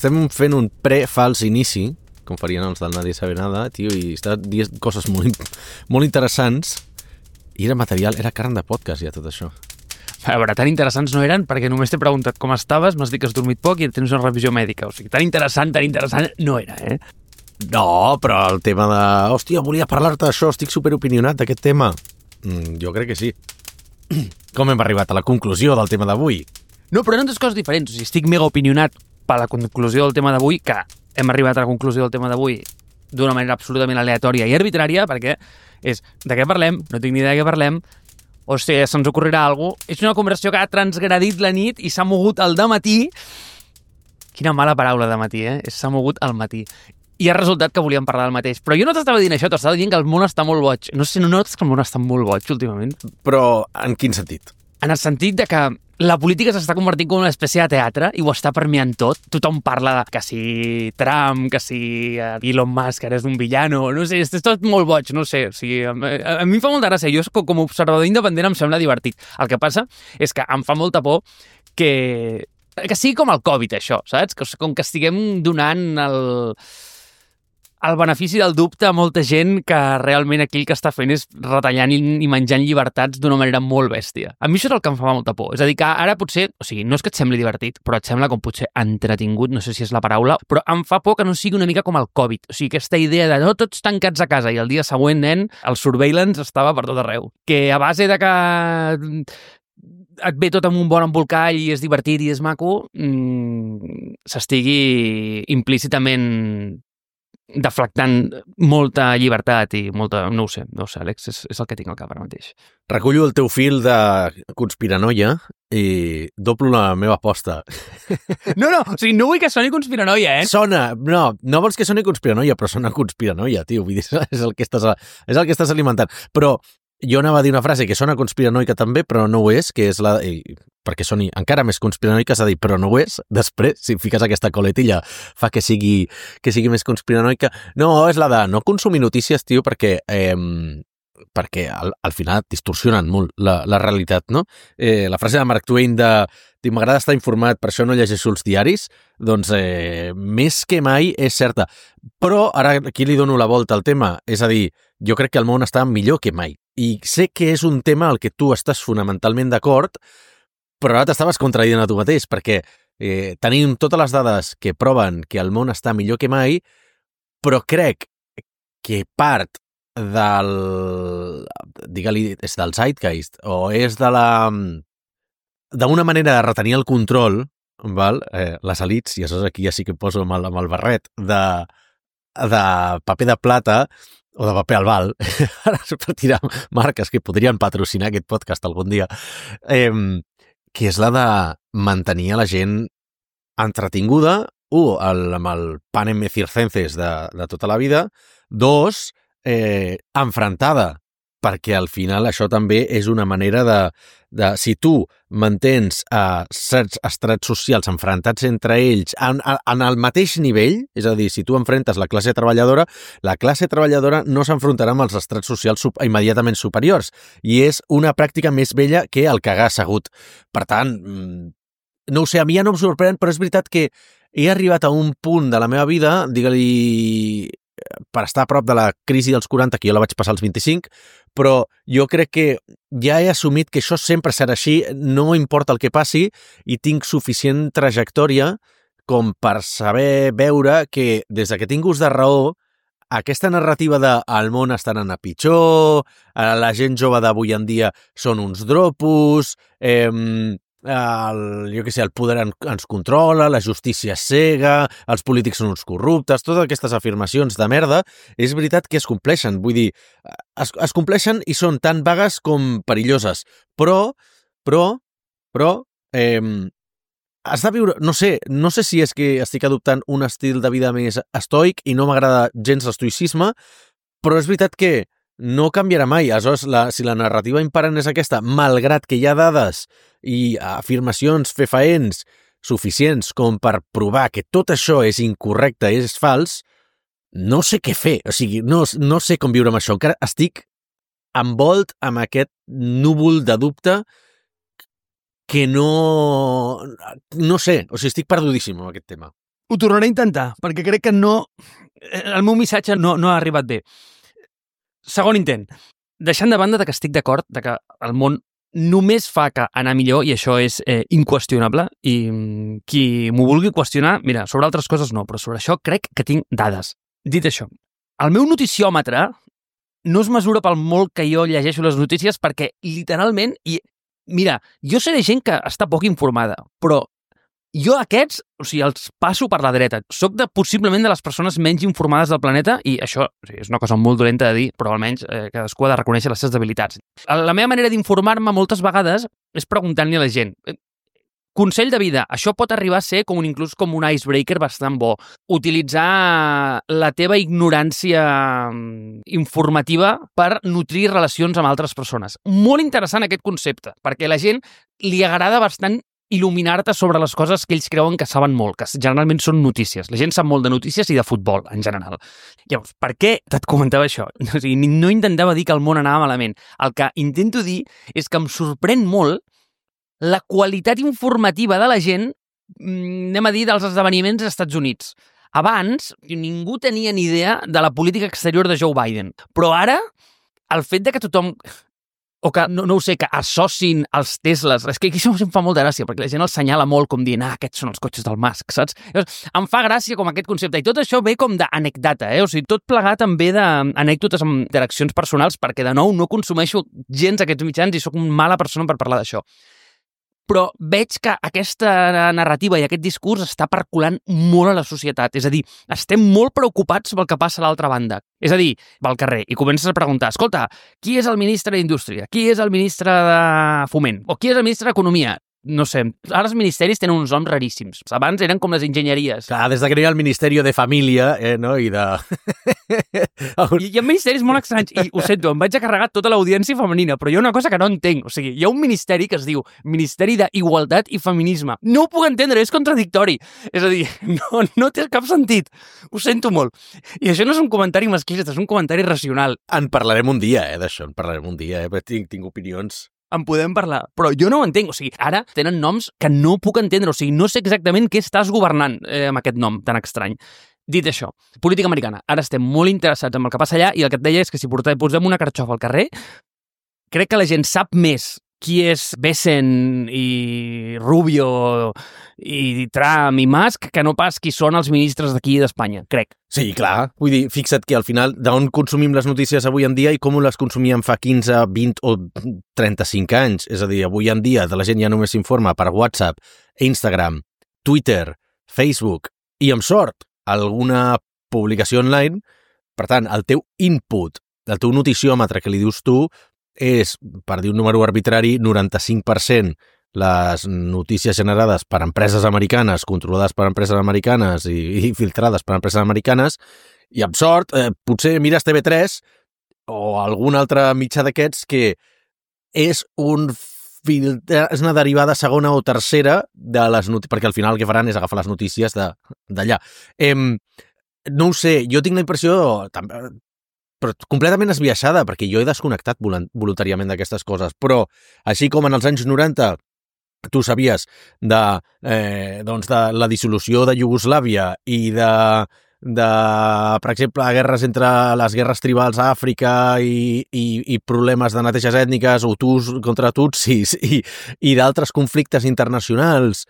estem fent un pre-fals inici, com farien els del Nadie Sabe Nada, tio, i està dient coses molt interessants, i era material, era carn de podcast, ja, tot això. A veure, tan interessants no eren perquè només t'he preguntat com estaves, m'has dit que has dormit poc i tens una revisió mèdica. O sigui, tan interessant no era, eh? No, però el tema de... Hòstia, volia parlar-te d'això, estic superopinionat d'aquest tema. Jo crec que sí. Com hem arribat a la conclusió del tema d'avui? No, però eren dues coses diferents. O sigui, estic mega opinionat per la conclusió del tema d'avui, que hem arribat a la conclusió del tema d'avui d'una manera absolutament aleatòria i arbitrària, perquè és de què parlem, no tinc ni idea de què parlem, o sigui, se'ns ocorrirà alguna cosa. És una conversació que ha transgredit la nit i s'ha mogut al dematí. Quina mala paraula dematí, eh? S'ha mogut al matí. I ha resultat que volíem parlar del mateix. Però jo no t'estava dient això, t'estava dient que el món està molt boig. No sé, no notes que el món està molt boig últimament? Però en quin sentit? En el sentit de que la política s'està convertint com una espècie de teatre i ho està permeant tot. Tothom parla de que si Trump, que si Elon Musk ara és un villano, no sé, és tot molt boig, no sé. O sigui, a mi em fa molta gràcia. Jo com a observador independent em sembla divertit. El que passa és que em fa molta por que sigui com el Covid, això, saps? Com que estiguem donant el benefici del dubte a molta gent que realment aquí el que està fent és retallant i menjant llibertats d'una manera molt bèstia. A mi això és el que em fa molta por. És a dir, que ara potser, o sigui, no és que et sembli divertit, però et sembla com potser entretingut, no sé si és la paraula, però em fa por que no sigui una mica com el Covid. O sigui, aquesta idea de no tots tancats a casa i el dia següent, nen, el surveillance estava per tot arreu. Que a base de que et ve tot amb un bon embolcall i és divertit i és maco, s'estigui implícitament deflectant molta llibertat i molta... No ho sé, Àlex, és el que tinc al cap ara mateix. Recullo el teu fil de conspiranoia i doblo la meva aposta. No, o sigui, no vull que soni conspiranoia, eh? Sona, no vols que soni conspiranoia, però sona conspiranoia, tio, vull dir, és el que estàs alimentant. Però jo anava a dir una frase que sona conspiranoica també, però no ho és, que és la... perquè soni encara més conspiranoica, s'ha dit, però no ho és. Després, si fiques aquesta coletilla, fa que sigui més conspiranoica. No, és la de no consumir notícies, tio, perquè al final distorsionen molt la realitat, no? La frase de Mark Twain de m'agrada estar informat, per això no llegeixo els diaris, doncs més que mai és certa. Però ara aquí li dono la volta al tema, és a dir, jo crec que el món està millor que mai. I sé que és un tema al que tu estàs fonamentalment d'acord, però ara t'estaves contradient a tu mateix, perquè tenim totes les dades que proven que el món està millor que mai, però crec que part digue-li, és del zeitgeist, o és d'una manera de retenir el control, val? Les elits, i això aquí ja sí que poso amb el barret, de paper de plata, o de paper albal, ara per tirar marques que podrien patrocinar aquest podcast algun dia, que és la de mantenir a la gent entretinguda, amb el panem circenses de tota la vida, dos, enfrontada, perquè al final això també és una manera de si tu mantens certs estrats socials enfrontats entre ells en el mateix nivell, és a dir, si tu enfrentes la classe treballadora no s'enfrontarà amb els estrats socials immediatament superiors, i és una pràctica més vella que el cagar assegut. Per tant, no ho sé, a mi ja no em sorprèn, però és veritat que he arribat a un punt de la meva vida, digue-li, per estar a prop de la crisi dels 40, que jo la vaig passar als 25, però jo crec que ja he assumit que això sempre serà així, no importa el que passi, i tinc suficient trajectòria com per saber veure que des que tinc ús de raó, aquesta narrativa de el món està anant a pitjor, la gent jove d'avui en dia són uns dropos, el poder ens controla, la justícia és cega, els polítics són uns corruptes, totes aquestes afirmacions de merda, és veritat que es compleixen, vull dir, es compleixen i són tan vagues com perilloses, però has de viure, no sé si és que estic adoptant un estil de vida més estoic i no m'agrada gens l'estoïcisme, però és veritat que no canviarà mai. Aleshores, si la narrativa imperant és aquesta, malgrat que hi ha dades i afirmacions fefaents suficients com per provar que tot això és incorrecte, és fals, no sé què fer. O sigui, no sé com viure amb això. Encara estic envolt amb aquest núvol de dubte que no sé. O sigui, estic perdudíssim amb aquest tema. Ho tornaré a intentar, perquè crec que no... El meu missatge no ha arribat bé. Segon intent. Deixant de banda que estic d'acord que el món només fa que anar millor, i això és inqüestionable, i qui m'ho vulgui qüestionar, mira, sobre altres coses no, però sobre això crec que tinc dades. Dit això, el meu noticiòmetre no es mesura pel molt que jo llegeixo les notícies, perquè literalment, i mira, jo seré gent que està poc informada, però jo aquests, o sigui, els passo per la dreta. Soc possiblement de les persones menys informades del planeta i això és una cosa molt dolenta de dir, però almenys cadascú ha de reconèixer les seves debilitats. La meva manera d'informar-me moltes vegades és preguntant-li a la gent. Consell de vida, això pot arribar a ser inclús com un icebreaker bastant bo. Utilitzar la teva ignorància informativa per nutrir relacions amb altres persones. Molt interessant aquest concepte, perquè a la gent li agrada bastant il·luminar-te sobre les coses que ells creuen que saben molt, que generalment són notícies. La gent sap molt de notícies i de futbol, en general. Llavors, per què et comentava això? O sigui, no intentava dir que el món anava malament. El que intento dir és que em sorprèn molt la qualitat informativa de la gent, anem a dir, dels esdeveniments als Estats Units. Abans, ningú tenia ni idea de la política exterior de Joe Biden. Però ara, el fet de que tothom... o que, no ho sé, que associn els Teslas. És que això em fa molta gràcia, perquè la gent els senyala molt com dient, aquests són els cotxes del Musk, saps? Llavors, em fa gràcia com aquest concepte. I tot això ve com d'anecdata, O sigui, tot plegat també d'anècdotes amb interaccions personals, perquè, de nou, no consumeixo gens aquests mitjans i sóc una mala persona per parlar d'això. Però veig que aquesta narrativa i aquest discurs està percolant molt a la societat. És a dir, estem molt preocupats pel que passa a l'altra banda. És a dir, va al carrer i comences a preguntar, escolta, qui és el ministre d'Indústria? Qui és el ministre de Foment? O qui és el ministre d'Economia? No sé, ara els ministeris tenen uns noms raríssims. Abans eren com les enginyeries. Clar, des que no hi ha el Ministeri de Família, no? I de... Hi ha ministeris molt estranys, i ho sento, em vaig a carregar tota l'audiència femenina, però hi ha una cosa que no entenc. O sigui, hi ha un ministeri que es diu Ministeri d'Igualtat i Feminisme. No ho puc entendre, és contradictori. És a dir, no té cap sentit. Ho sento molt. I això no és un comentari masclista, és un comentari racional. En parlarem un dia, d'això, en parlarem un dia, tinc opinions... En podem parlar, però jo no ho entenc. O sigui, ara tenen noms que no puc entendre. O sigui, no sé exactament què estàs governant amb aquest nom tan estrany. Dit això, política americana. Ara estem molt interessats en el que passa allà i el que et deia és que si posem una carxofa al carrer, crec que la gent sap més qui és Bessent i Rubio i Trump i Musk que no pas qui són els ministres d'aquí d'Espanya, crec. Sí, clar. Vull dir, fixa't que al final d'on consumim les notícies avui en dia i com les consumíem fa 15, 20 o 35 anys. És a dir, avui en dia la gent ja només s'informa per WhatsApp, Instagram, Twitter, Facebook i, amb sort, alguna publicació online. Per tant, el teu input, el teu noticiòmetre que li dius tu, és, per dir un número arbitrari, 95% les notícies generades per empreses americanes, controlades per empreses americanes i filtrades per empreses americanes, i amb sort, potser mires TV3 o algun altre mitjà d'aquests que és una derivada segona o tercera de les notícies, perquè al final el que faran és agafar les notícies d'allà. No ho sé, jo tinc la impressió... però completament esbiaixada, perquè jo he desconnectat voluntàriament d'aquestes coses, però així com en els anys 90 tu sabies de la dissolució de Iugoslàvia i per exemple, guerres entre les guerres tribals a Àfrica i problemes de neteges ètniques, Hutus contra Tutsis i d'altres conflictes internacionals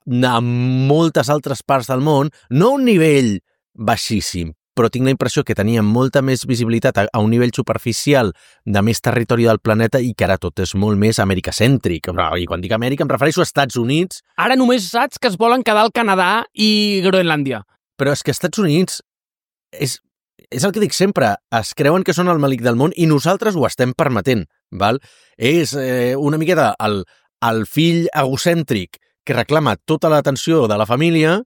a moltes altres parts del món, no a un nivell baixíssim, però tinc la impressió que teníem molta més visibilitat a un nivell superficial de més territori del planeta i que ara tot és molt més americacèntric. I quan dic Amèrica em refereixo als Estats Units. Ara només saps que es volen quedar al Canadà i Groenlàndia. Però és que Estats Units és el que dic sempre, es creuen que són el malic del món i nosaltres ho estem permetent. Val? És una miqueta el fill egocèntric que reclama tota l'atenció de la família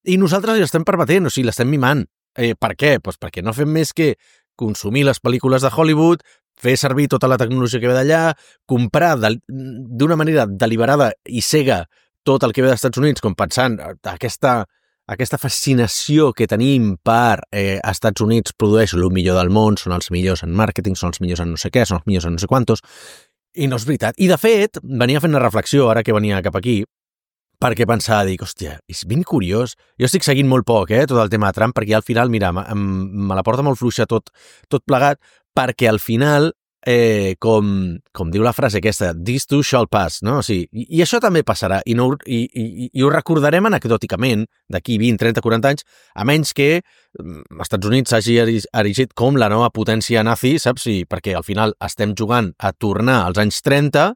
i nosaltres li estem permetent, o sigui, l'estem mimant. Per què? Pues perquè no fem més que consumir les pel·lícules de Hollywood, fer servir tota la tecnologia que ve d'allà, comprar d'una manera deliberada i cega tot el que ve dels Estats Units, com pensant aquesta fascinació que tenim per Estats Units produeix el millor del món, són els millors en màrqueting, són els millors en no sé què, són els millors en no sé quantos, i no és veritat. I de fet, venia fent una reflexió ara que venia cap aquí, perquè pensava, dic, hòstia, és ben curiós. Jo estic seguint molt poc, tot el tema de Trump, perquè al final, mira, me la porta molt fluixa tot plegat, perquè al final, com diu la frase aquesta, this too shall pass, no? O sigui, i això també passarà, i ho recordarem anecdòticament d'aquí 20, 30, 40 anys, a menys que els Estats Units s'hagi erigit com la nova potència nazi, saps? Sí, perquè al final estem jugant a tornar als anys 30,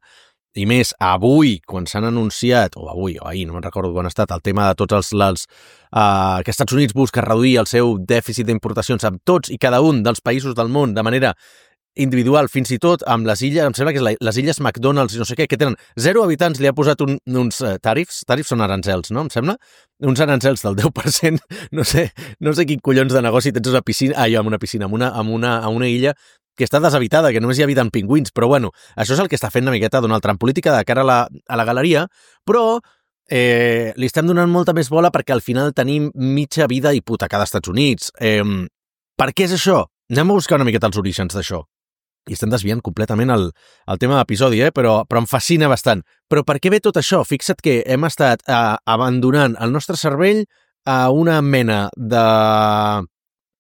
i més avui, quan s'han anunciat, o avui o ahir, no me'n recordo quan ha estat, el tema de tots que Estats Units busca reduir el seu dèficit d'importacions amb tots i cada un dels països del món de manera individual, fins i tot amb les illes, em sembla que és les illes McDonald's i no sé què, que tenen 0 habitants, li ha posat uns tarifs són arancels, no? Em sembla? Uns arancels del 10%, no sé quin collons de negoci tens una piscina, amb una piscina, amb una illa que està deshabitada, que només hi habiten pingüins, però bueno, això és el que està fent una miqueta Donald Trump, política de cara a la galeria, però li estem donant molta més bola perquè al final tenim mitja vida hipotecada als Estats Units. Per què és això? Anem a buscar una miqueta els orígens d'això. I estem desviant completament el tema de l'episodi, però em fascina bastant. Però per què ve tot això? Fixa't que hem estat abandonant el nostre cervell a una mena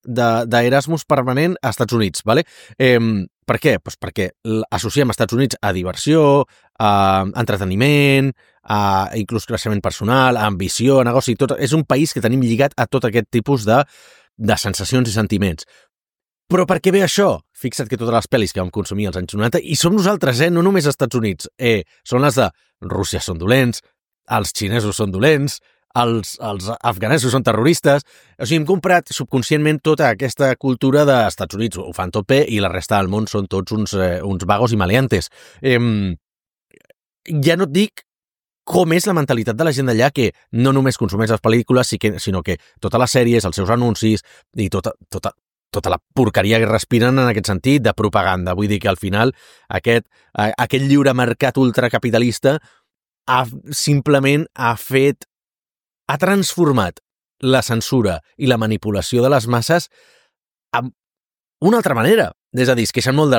d'Erasmus permanent als Estats Units, ¿vale? Per què? Pues perquè associem als Estats Units a diversió, a entreteniment, a inclús creixement personal, a ambició, a negoci, tot. És un país que tenim lligat a tot aquest tipus de sensacions i sentiments. Però per què ve això? Fixa't que totes les pel·lis que vam consumir als anys 90, i som nosaltres, no només als Estats Units, són les de Rússia són dolents, els xinesos són dolents, els afganesos són terroristes. O sigui, hem comprat subconscientment tota aquesta cultura dels Estats Units, ho fan tot bé, i la resta del món són tots uns vagos i maleantes. Ja no et dic com és la mentalitat de la gent d'allà, que no només consumeix les pel·lícules, sinó que totes les sèries, els seus anuncis i tota la porqueria que respiren en aquest sentit de propaganda. Vull dir que al final aquest lliure mercat ultracapitalista simplement ha transformat la censura i la manipulació de les masses amb una altra manera. És a dir, es queixen molt de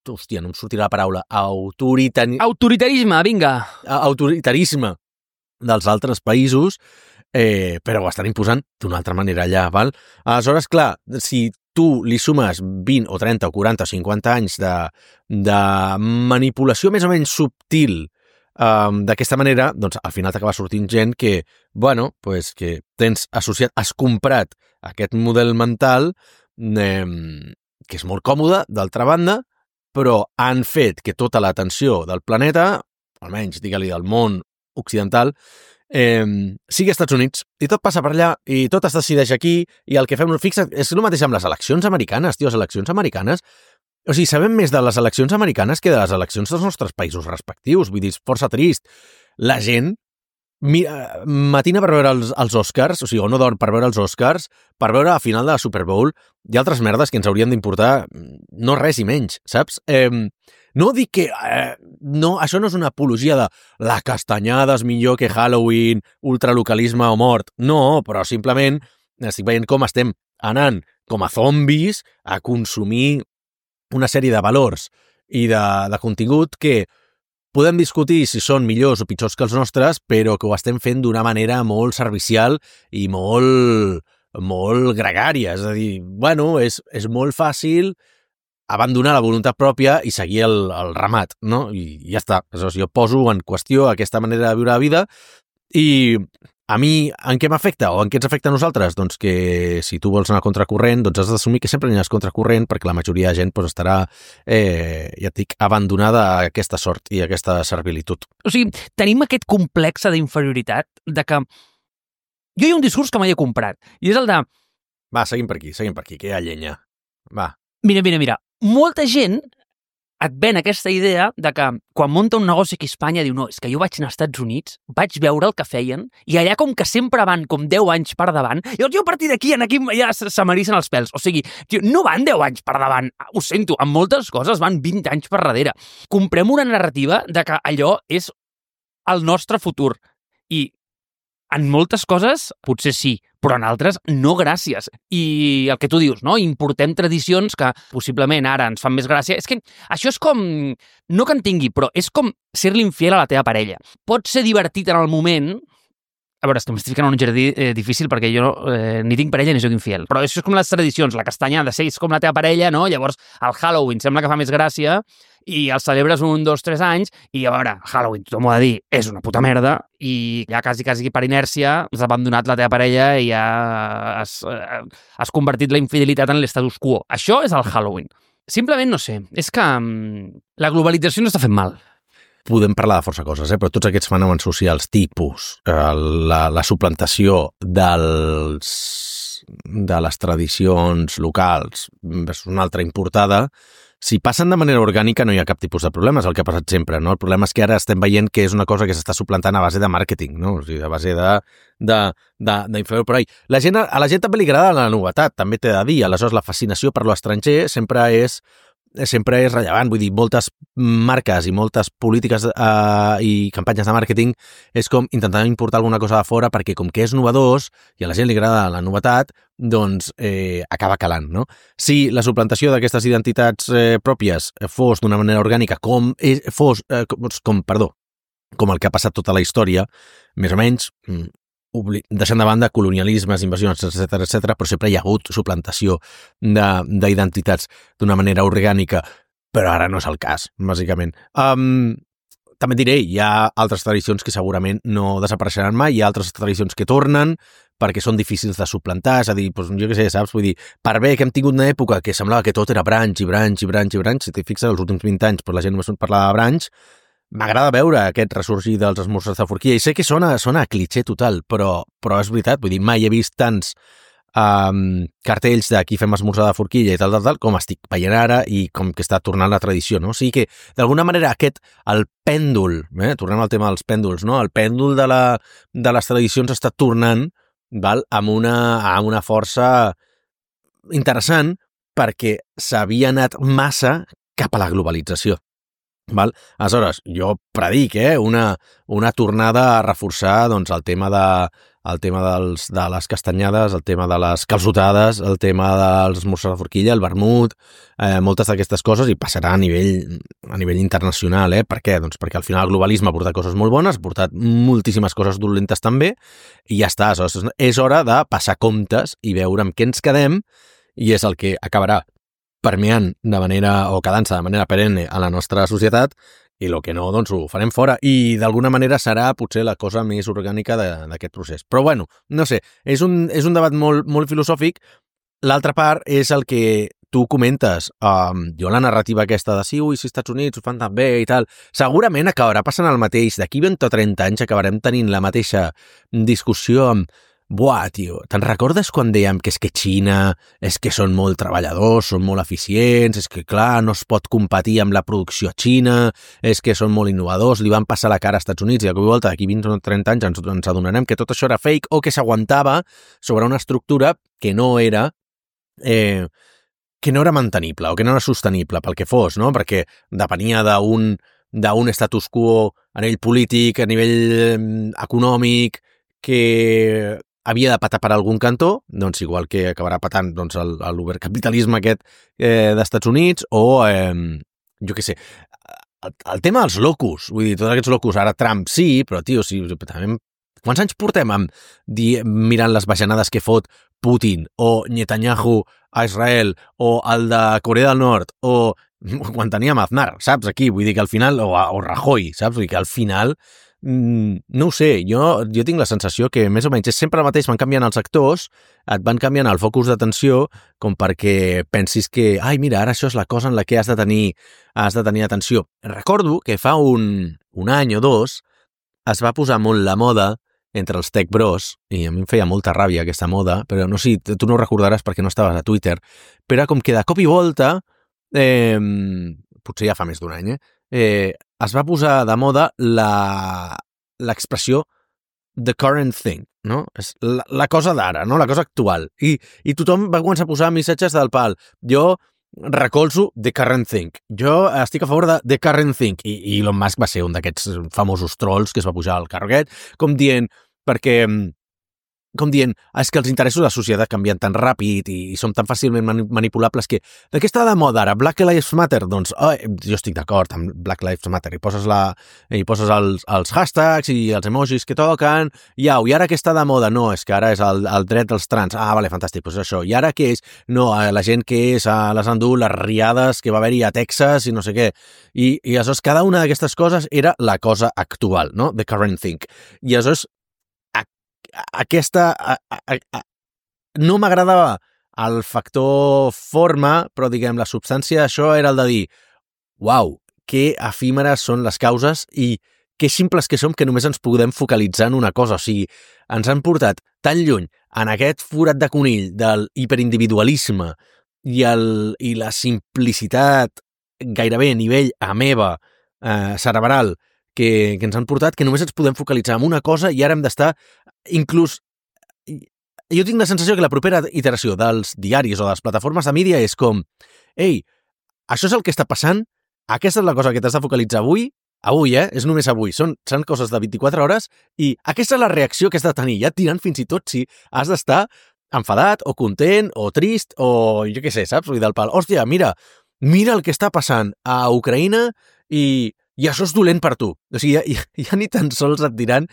hòstia, no em sortirà la paraula. Autoritarisme, vinga. Autoritarisme dels altres països, però ho estan imposant d'una altra manera allà, val? Aleshores, clar, si tu li sumes 20 o 30 o 40 o 50 anys de manipulació més o menys subtil d'aquesta manera, doncs al final t'acaba sortint gent que, bueno, pues que tens associat, has comprat aquest model mental que és molt còmode, d'altra banda, però han fet que tota l'atenció del planeta, almenys, digue-li, del món occidental, sigui als Estats Units, i tot passa per allà, i tot es decideix aquí, i el que fem, fixa't, és el mateix amb les eleccions americanes, tio, les eleccions americanes. O sigui, sabem més de les eleccions americanes que de les eleccions dels nostres països respectius. Vull dir, és força trist. La gent matina per veure els Oscars, o sigui, o no dorm per veure els Oscars, per veure la final de la Super Bowl i altres merdes que ens haurien d'importar no res i menys, saps? No dic que això no és una apologia de la castanyada és millor que Halloween, ultralocalisme o mort. No, però simplement estic veient com estem anant com a zombis a consumir una sèrie de valors i de contingut que podem discutir si són millors o pitjors que els nostres, però que ho estem fent d'una manera molt servicial i molt gregària. És a dir, bueno, és molt fàcil abandonar la voluntat pròpia i seguir el ramat, no? I ja està. Aleshores, jo poso en qüestió aquesta manera de viure la vida i a mi, en què m'afecta o en què ens afecta a nosaltres? Doncs que si tu vols anar a contracorrent, doncs has d'assumir que sempre aniràs contracorrent perquè la majoria de gent doncs, estarà, ja et dic, abandonada a aquesta sort i a aquesta servilitud. O sigui, tenim aquest complex d'inferioritat de que jo hi ha un discurs que mai he comprat i és el de... Va, seguim per aquí, que hi ha llenya. Va. Mira. Molta gent et ven aquesta idea de que quan munta un negoci aquí a Espanya diu, no, és que jo vaig anar als Estats Units, vaig veure el que feien, i allà com que sempre van com 10 anys per davant, i jo a partir d'aquí aquí ja se m'erissen els pèls. O sigui, no van 10 anys per davant, ho sento, en moltes coses van 20 anys per darrere. Comprem una narrativa de que allò és el nostre futur. I En moltes coses, potser sí, però en altres, no gràcies. I el que tu dius, no? Importem tradicions que possiblement ara ens fan més gràcia. És que això és com... No que en tingui, però és com ser-li infiel a la teva parella. Pot ser divertit en el moment... A veure, és que m'estic ficant en un jardí difícil perquè jo ni tinc parella ni soc infiel. Però això és com les tradicions. La castanyada, sí, és com la teva parella, no? Llavors, el Halloween sembla que fa més gràcia i el celebres 1, 2, 3 anys i, a veure, Halloween, tothom ho ha de dir, és una puta merda i ja quasi per inèrcia has abandonat la teva parella i ja has convertit la infidelitat en l'estatus quo. Això és el Halloween. Simplement, no sé, és que la globalització no està fent mal. Podem parlar de força coses, però tots aquests fenòmens socials, tipus, la suplantació de les tradicions locals versus una altra importada, si passen de manera orgànica no hi ha cap tipus de problema, és el que ha passat sempre, no? El problema és que ara estem veient que és una cosa que s'està suplantant a base de màrqueting, no? O sigui, a base d'influir per ahí. A la gent també li agrada la novetat, també t'he de dir, aleshores la fascinació per l'estranger sempre és rellevant, vull dir, moltes marques i moltes polítiques i campanyes de màrqueting és com intentar importar alguna cosa de fora perquè com que és novedós i a la gent li agrada la novetat, doncs acaba calant, no? Si la suplantació d'aquestes identitats pròpies fos d'una manera orgànica com el que ha passat tota la història, més o menys, deixant de banda colonialismes, invasions, etc., però sempre hi ha hagut suplantació d'identitats d'una manera orgànica, però ara no és el cas, bàsicament. També diré, hi ha altres tradicions que segurament no desapareixeran mai, hi ha altres tradicions que tornen perquè són difícils de suplantar, és a dir, doncs, jo què sé, saps? Vull dir, per bé que hem tingut una època que semblava que tot era branch, si t'hi fixes, els últims 20 anys, però la gent només parlava de branch. M'agrada veure aquest ressorgir dels esmorzars de forquilla i sé que sona a clitxé total, però és veritat, vull dir, mai he vist tants cartells d'aquí fem esmorzar de forquilla i tal, com estic veient ara i com que està tornant la tradició, no? O sigui que, d'alguna manera, el pèndol, tornem al tema dels pèndols, no? El pèndol de les tradicions està tornant, val? Amb una força interessant perquè s'havia anat massa cap a la globalització. Val? Aleshores, jo predic una tornada a reforçar doncs, el tema de les castanyades, el tema de les calçotades, el tema dels esmorzars de forquilla, el vermut, moltes d'aquestes coses, i passarà a nivell internacional. Per què? Doncs perquè al final el globalisme ha portat coses molt bones, ha portat moltíssimes coses dolentes també, i ja està. Aleshores, és hora de passar comptes i veure amb què ens quedem, i és el que acabarà permeant quedant-se de manera perenne a la nostra societat, i el que no, doncs ho farem fora. I d'alguna manera serà potser la cosa més orgànica d'aquest procés. Però bueno, no sé, és un debat molt, molt filosòfic. L'altra part és el que tu comentes. Jo la narrativa aquesta de si els Estats Units ho fan tan bé i tal, segurament acabarà passant el mateix. D'aquí 20 o 30 anys acabarem tenint la mateixa discussió amb buah, tio, te'n recordes quan dèiem que és que Xina és que són molt treballadors, són molt eficients, és que, clar, no es pot competir amb la producció xina, és que són molt innovadors, li van passar la cara als Estats Units i de cop i volta d'aquí 20 o 30 anys ens adonarem que tot això era fake o que s'aguantava sobre una estructura que no era mantenible o que no era sostenible pel que fos, no? Perquè depenia d'un status quo a nivell polític, a nivell econòmic, que havia de patar per algun cantó, doncs igual que acabarà patant doncs, l'obercapitalisme aquest d'Estats Units o, jo què sé, el tema dels locus, vull dir, tots aquests locus, ara Trump sí, però, tio, sí, també, quants anys portem mirant les bajanades que fot Putin o Netanyahu a Israel o el de Corea del Nord o quan teníem Aznar, saps, aquí, vull dir que al final, o Rajoy, saps, vull dir que al final no ho sé, jo tinc la sensació que més o menys és sempre el mateix, van canviant els actors, et van canviant el focus d'atenció com perquè pensis que, ai, mira, ara això és la cosa en la que has de tenir atenció. Recordo que fa un any o dos es va posar molt la moda entre els tech bros, i a mi em feia molta ràbia aquesta moda, però no sé, tu no ho recordaràs perquè no estaves a Twitter, però com que de cop i volta, potser ja fa més d'un any, es va posar de moda l'expressió the current thing, no? És la cosa d'ara, no? La cosa actual. I tothom va començar a posar missatges del pal. Jo recolzo the current thing. Jo estic a favor de the current thing. I Elon Musk va ser un d'aquests famosos trolls que es va pujar al carro aquest, com dient, perquè com dient, és que els interessos de la societat canvien tan ràpid i som tan fàcilment manipulables que de què està de moda ara? Black Lives Matter? Doncs jo estic d'acord amb Black Lives Matter i poses els hashtags i els emojis que toquen i ara què està de moda? No, és que ara és el dret dels trans. Vale, fantàstic, doncs això. I ara què és? No, la gent que és a les endut, les riades que va haver-hi a Texas i no sé què. I aleshores cada una d'aquestes coses era la cosa actual, no? The current thing. I aleshores no m'agradava el factor forma, però diguem, la substància d'això era el de dir uau, que efímeres són les causes i que simples que som que només ens podem focalitzar en una cosa. O sigui, ens han portat tan lluny en aquest forat de conill del hiperindividualisme i la simplicitat gairebé a nivell ameba cerebral que ens han portat que només ens podem focalitzar en una cosa i ara hem d'estar inclús... Jo tinc la sensació que la propera iteració dels diaris o de les plataformes de mídia és com ei, això és el que està passant, aquesta és la cosa que t'has de focalitzar avui, és només avui, són coses de 24 hores i aquesta és la reacció que has de tenir, ja et diran fins i tot si has d'estar enfadat o content o trist o jo què sé, saps? Vull dir, del pal, hòstia, mira el que està passant a Ucraïna i això és dolent per tu. O sigui, ja ni tan sols et diran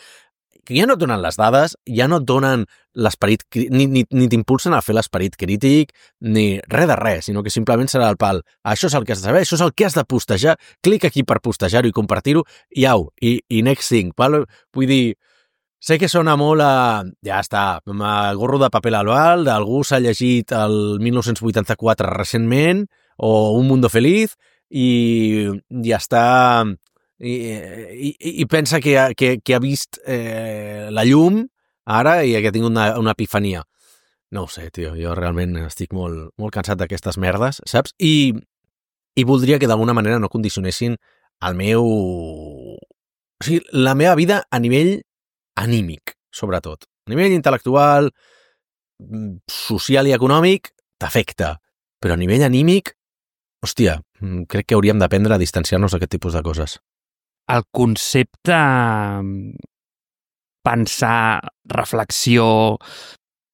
que ja no et donen les dades, ja no et donen l'esperit, ni t'impulsen a fer l'esperit crític, ni res de res, sinó que simplement serà el pal. Això és el que has de saber, això és el que has de postejar, clic aquí per postejar-ho i compartir-ho, i next thing. Val? Vull dir, sé que sona molt a... Ja està, gorro de paper al bal, d'algú s'ha llegit el 1984 recentment, o Un mundo feliz, i ja està... I pensa que ha vist la llum ara i que ha tingut una epifania. No ho sé, tio, jo realment estic molt, molt cansat d'aquestes merdes, saps? I voldria que d'alguna manera no condicionessin el meu... O sigui, la meva vida a nivell anímic, sobretot. A nivell intel·lectual, social i econòmic, t'afecta. Però a nivell anímic, hòstia, crec que hauríem d'aprendre a distanciar-nos d'aquest tipus de coses. El concepte pensar, reflexió,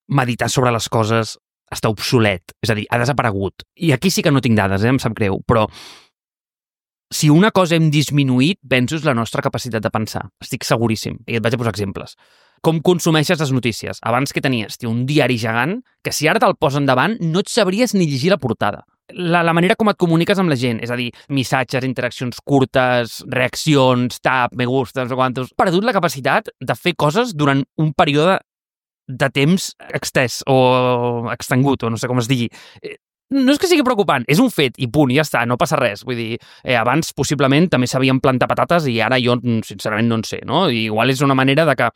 meditar sobre les coses està obsolet, és a dir, ha desaparegut. I aquí sí que no tinc dades, em sap greu, però si una cosa hem disminuït, penso és la nostra capacitat de pensar. Estic seguríssim. I et vaig a posar exemples. Com consumeixes les notícies? Abans que tenies un diari gegant, que si ara te'l posen davant no et sabries ni llegir la portada. La manera com et comuniques amb la gent, és a dir, missatges, interaccions curtes, reaccions, tap, me gusta, no sé quantos... Perdut la capacitat de fer coses durant un període de temps extès o extengut, o no sé com es digui. No és que sigui preocupant, és un fet i punt, ja està, no passa res. Vull dir, abans possiblement també sabíem plantar patates i ara jo sincerament no en sé, no? I igual és una manera de que,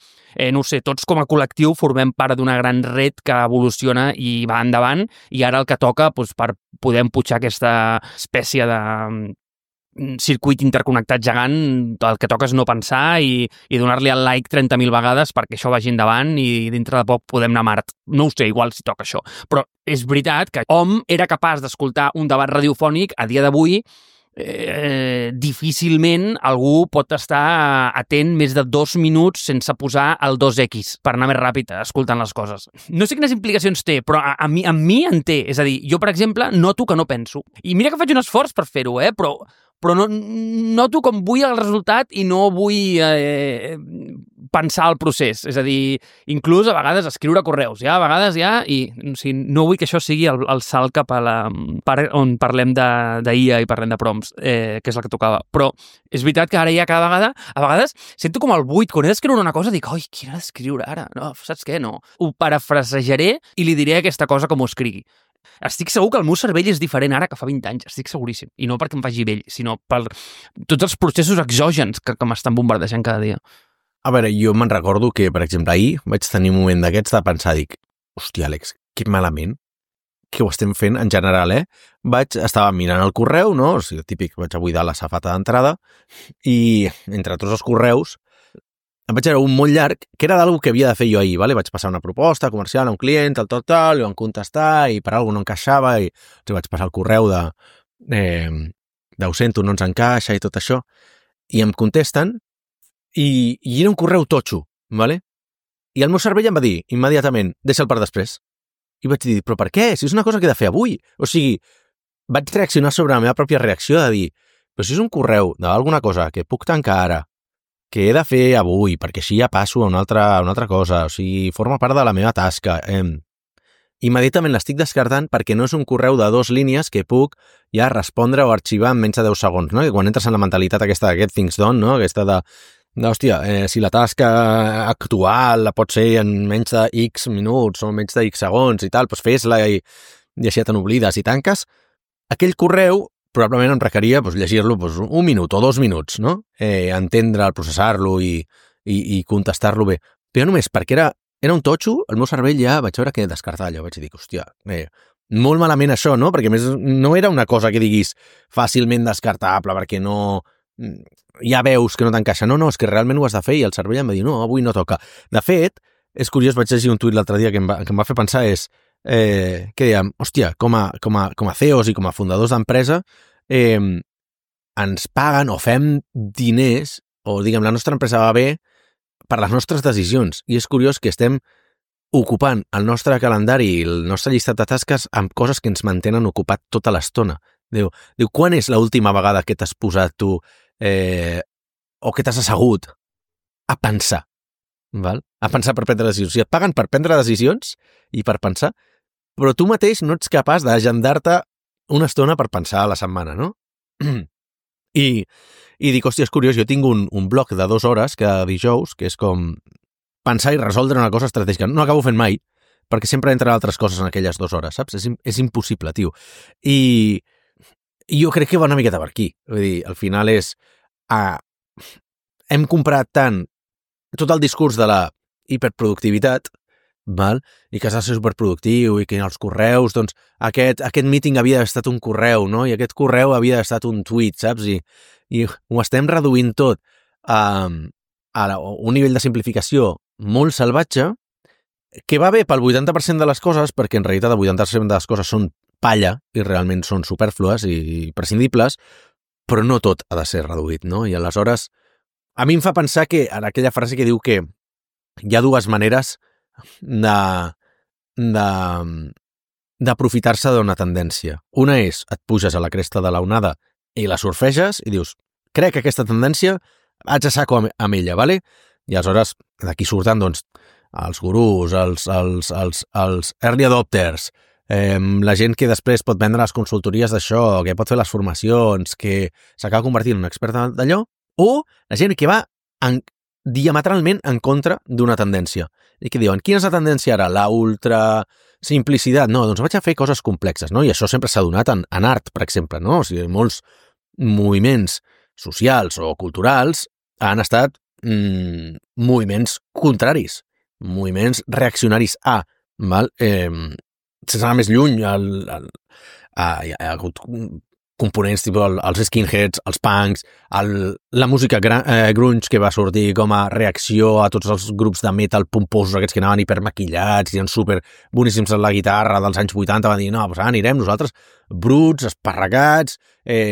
no ho sé, tots com a col·lectiu formem part d'una gran red que evoluciona i va endavant i ara el que toca doncs, per poder empujar aquesta espècie de circuit interconnectat gegant, el que toca és no pensar i donar-li el like 30.000 vegades perquè això vagi endavant i dintre de poc podem anar a Mart. No ho sé, igual si toca això. Però és veritat que hom era capaç d'escoltar un debat radiofònic a dia d'avui. Difícilment algú pot estar atent més de 2 minuts sense posar el 2X per anar més ràpid escoltant les coses. No sé quines implicacions té, però a mi en té. És a dir, jo, per exemple, noto que no penso. I mira que faig un esforç per fer-ho, però no, noto com vull el resultat i no vull pensar el procés. És a dir, inclús a vegades escriure correus, a vegades i o sigui, no vull que això sigui el salt cap a la part on parlem d'IA i parlem de prompts, que és el que tocava. Però és veritat que ara ja cada vegada, a vegades sento com el buit, quan he d'escriure una cosa dic, oi, quina he d'escriure ara? No, saps què? No. Ho parafrasejaré i li diré aquesta cosa com ho escrigui. Estic segur que el meu cervell és diferent ara que fa 20 anys, estic seguríssim. I no perquè em faci vell, sinó per tots els processos exògens que m'estan bombardejant cada dia. A veure, jo me'n recordo que, per exemple, ahir vaig tenir un moment d'aquests de pensar, dic, hòstia, Àlex, que malament que ho estem fent en general, Estava mirant el correu, no? O sigui, típic, vaig a buidar la safata d'entrada i entre tots els correus em vaig veure un molt llarg, que era d'alguna que havia de fer jo ahir, vale? Vaig passar una proposta comercial a un client, tal, i van contestar, i per alguna no encaixava, i vaig passar el correu ho sento, no ens encaixa, i tot això, i em contesten, i era un correu totxo, vale? I el meu cervell em va dir, immediatament, deixa'l per després. I vaig dir, però per què? Si és una cosa que he de fer avui. O sigui, vaig reaccionar sobre la meva pròpia reacció de dir, però si és un correu d'alguna cosa que puc tancar ara, que he de fer avui, perquè així ja passo a una altra cosa, o sigui, forma part de la meva tasca. Immediatament l'estic descartant perquè no és un correu de 2 línies que puc ja respondre o arxivar en menys de 10 segons, no? Que quan entres en la mentalitat aquesta de get things done, no? Aquesta hòstia, si la tasca actual la pot ser en menys de X minuts o en menys de X segons i tal, doncs fes-la i així ja te n'oblides i tanques, aquell correu probablement em requeria llegir-lo un minut o 2 minuts, no? Entendre'l, processar-lo i contestar-lo bé. Però només perquè era un totxo, el meu cervell ja vaig veure que descartar allò. Vaig dir, hòstia, molt malament això, no? Perquè a més no era una cosa que diguis fàcilment descartable, perquè no... ja veus que no t'encaixa. No, és que realment ho has de fer i el cervell em va dir, no, avui no toca. De fet, és curiós, vaig llegir un tuit l'altre dia que em va fer pensar que dèiem, hòstia, com a CEOs i com a fundadors d'empresa ens paguen o fem diners o, diguem, la nostra empresa va bé per les nostres decisions. I és curiós que estem ocupant el nostre calendari i el nostre llistat de tasques amb coses que ens mantenen ocupat tota l'estona. Diu, quan és l'última vegada que t'has posat tu o que t'has assegut a pensar? Val? A pensar per prendre decisions. O sigui, et paguen per prendre decisions i per pensar, però tu mateix no ets capaç d'agendar-te una estona per pensar a la setmana, no? I dic, hòstia, és curiós, jo tinc un bloc de 2 hores cada dijous, que és com pensar i resoldre una cosa estratègica. No acabo fent mai, perquè sempre entren altres coses en aquelles 2 hores, saps? És impossible, tio. I jo crec que va una miqueta per aquí. Vull dir, al final és... hem comprat tant tot el discurs de la hiperproductivitat, val? I que has de ser superproductiu i que els correus, doncs, aquest meeting havia d'haver estat un correu, no? I aquest correu havia d'haver estat un tuit, saps? I ho estem reduint tot a un nivell de simplificació molt salvatge que va bé pel 80% de les coses, perquè en realitat el 80% de les coses són palla i realment són superflues i prescindibles, però no tot ha de ser reduït, no? I aleshores, a mi em fa pensar que en aquella frase que diu que hi ha 2 maneres d'aprofitar-se d'una tendència. Una és, et puges a la cresta de la onada i la surfeges i dius, crec que aquesta tendència haig a saco amb ella, ¿vale? I aleshores d'aquí surten, doncs, els gurús, els early adopters, la gent que després pot vendre les consultories d'això, que pot fer les formacions, que s'acaba convertint en un expert d'allò, o la gent que va diametralment en contra d'una tendència. I que diuen, quina és la tendència ara? La ultra simplicitat? No, doncs vaig a fer coses complexes, no? I això sempre s'ha donat en art, per exemple, no? O sigui, molts moviments socials o culturals han estat moviments contraris, moviments reaccionaris a, val? Sense anar més lluny, hi ha hagut components tipus els skinheads, els punks, la música grunge que va sortir com a reacció a tots els grups de metal pomposos aquests que anaven hipermaquillats i eren super boníssims en la guitarra dels anys 80, van dir, no, doncs anirem nosaltres bruts, esparragats,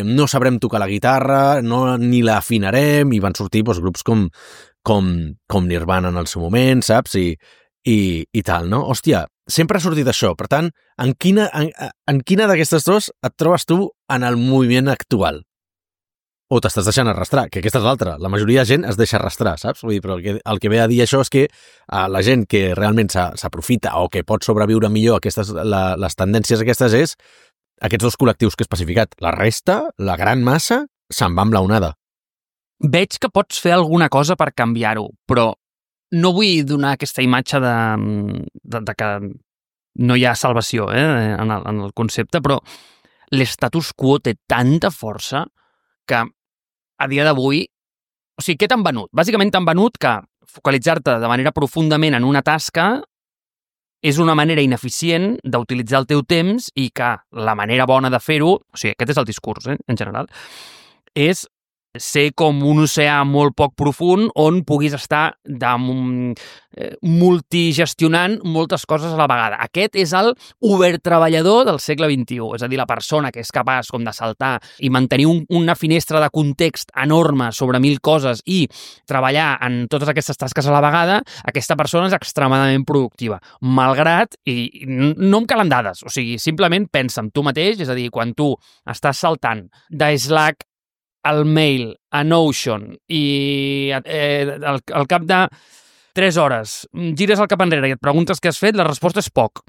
no sabrem tocar la guitarra, ni la afinarem, i van sortir doncs, grups com Nirvana en el seu moment, saps? I tal, no? Hòstia, sempre ha sortit això. Per tant, en quina d'aquestes 2 et trobes tu en el moviment actual? O t'estàs deixant arrastrar, que aquesta és l'altra. La majoria de gent es deixa arrastrar, saps? Vull dir, però el que ve a dir això és que la gent que realment s'aprofita o que pot sobreviure millor les tendències aquestes és aquests 2 col·lectius que he especificat. La resta, la gran massa, se'n va amb la onada. Veig que pots fer alguna cosa per canviar-ho, però no vull donar aquesta imatge de que no hi ha salvació en el concepte, però l'estatus quo té tanta força que a dia d'avui... O sigui, què t'han venut? Bàsicament t'han venut que focalitzar-te de manera profundament en una tasca és una manera ineficient d'utilitzar el teu temps i que la manera bona de fer-ho, o sigui, aquest és el discurs, en general, és ser com un oceà molt poc profund on puguis estar multigestionant moltes coses a la vegada. Aquest és el ubertreballador del segle XXI, és a dir, la persona que és capaç com de saltar i mantenir una finestra de context enorme sobre 1000 coses i treballar en totes aquestes tasques a la vegada. Aquesta persona és extremadament productiva, malgrat, i no em calen dades, o sigui, simplement pensa en tu mateix, és a dir, quan tu estàs saltant de Slack al mail, a Notion, i al cap de 3 hores gires el cap enrere i et preguntes què has fet, la resposta és poc.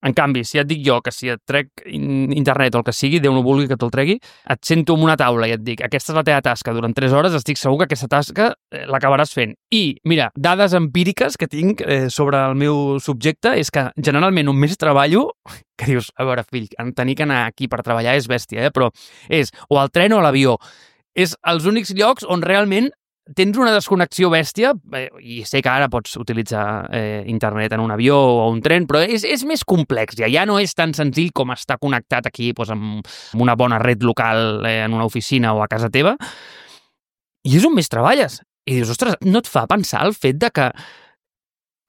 En canvi, si et dic jo que si et trec internet o el que sigui, Déu no vulgui que te'l tregui, et sento en una taula i et dic aquesta és la teva tasca durant 3 hores, estic segur que aquesta tasca l'acabaràs fent. I, mira, dades empíriques que tinc sobre el meu subjecte és que generalment on més treballo, que dius, a veure, fill, tenir que anar aquí per treballar és bèstia, però és o al tren o a l'avió. És els únics llocs on realment tens una desconnexió bèstia, i sé que ara pots utilitzar internet en un avió o un tren, però és més complex, ja no és tan senzill com estar connectat aquí amb una bona red local en una oficina o a casa teva, i és on més treballes. I dius, ostres, no et fa pensar el fet de que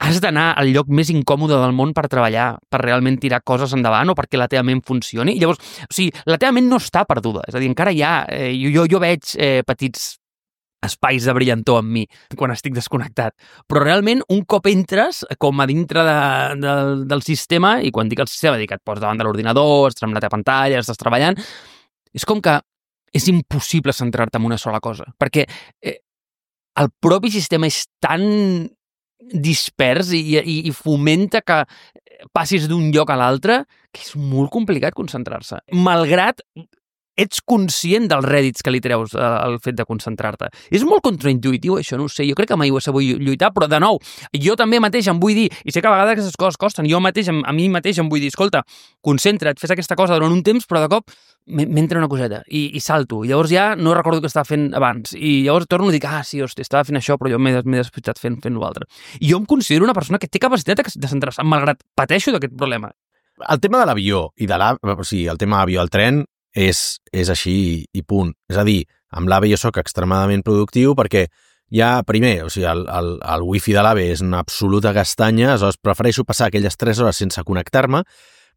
has d'anar al lloc més incòmode del món per treballar, per realment tirar coses endavant o perquè la teva ment funcioni? I llavors, o sigui, la teva ment no està perduda, és a dir, encara hi ha, jo veig petits espais de brillantor amb mi quan estic desconnectat. Però realment, un cop entres com a dintre del sistema, i quan dic el sistema, dic que et pots davant de l'ordinador, estàs amb la teva pantalla, estàs treballant, és com que és impossible centrar-te en una sola cosa. Perquè el propi sistema és tan dispers i fomenta que passis d'un lloc a l'altre que és molt complicat concentrar-se. Malgrat ets conscient dels rèdits que li treus al fet de concentrar-te. És molt contraintuitiu, això, no ho sé. Jo crec que mai ho he sabut lluitar, però de nou, jo també mateix em vull dir, i sé que a vegades aquestes coses costen, jo mateix, a mi mateix em vull dir, escolta, concentra't, fes aquesta cosa durant un temps, però de cop m'entra una coseta i salto. I llavors ja no recordo què estava fent abans. I llavors torno i dic, sí, hosti, estava fent això, però jo m'he despistat fent l'altre. I jo em considero una persona que té capacitat de centrar-se, malgrat pateixo d'aquest problema. El tema de l'avió i o sigui, el tema avió al tren és així i punt. És a dir, amb l'AVE jo soc extremadament productiu perquè ja, primer, o sigui, el wifi de l'AVE és una absoluta castanya, aleshores prefereixo passar aquelles 3 hores sense connectar-me